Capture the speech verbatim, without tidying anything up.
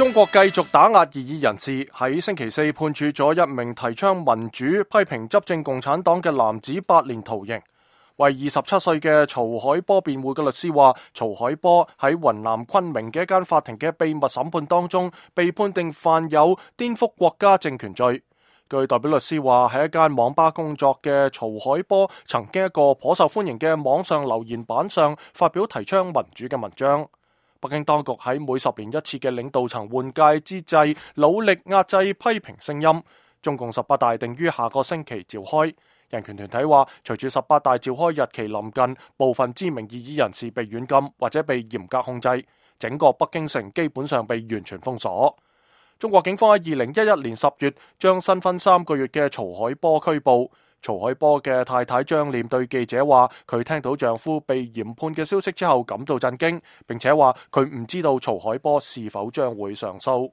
中國繼續打壓異議人士，喺星期四判處咗一名提倡民主、批評執政共產黨嘅男子八年徒刑。為二十七歲嘅曹海波辯護嘅律師話，曹海波喺雲南昆明嘅一間法庭嘅秘密審判當中，被判定犯有顛覆國家政權罪。據代表律師話，喺一間網吧工作嘅曹海波，曾經一個頗受歡迎嘅網上留言板上發表提倡民主嘅文章。北京當局喺每十年一次嘅領導層換屆之際，努力壓制批評聲音。中共十八大定於下個星期召開。人權團體話，隨住十八大召開日期臨近，部分知名異議人士被軟禁或者被嚴格控制，整個北京城基本上被完全封鎖。中國警方喺二零一一年十月將新婚三個月嘅曹海波拘捕。曹海波嘅太太張念對記者話，佢聽到丈夫被嚴判嘅消息之後感到震驚，並且話佢唔知道曹海波是否將會上訴。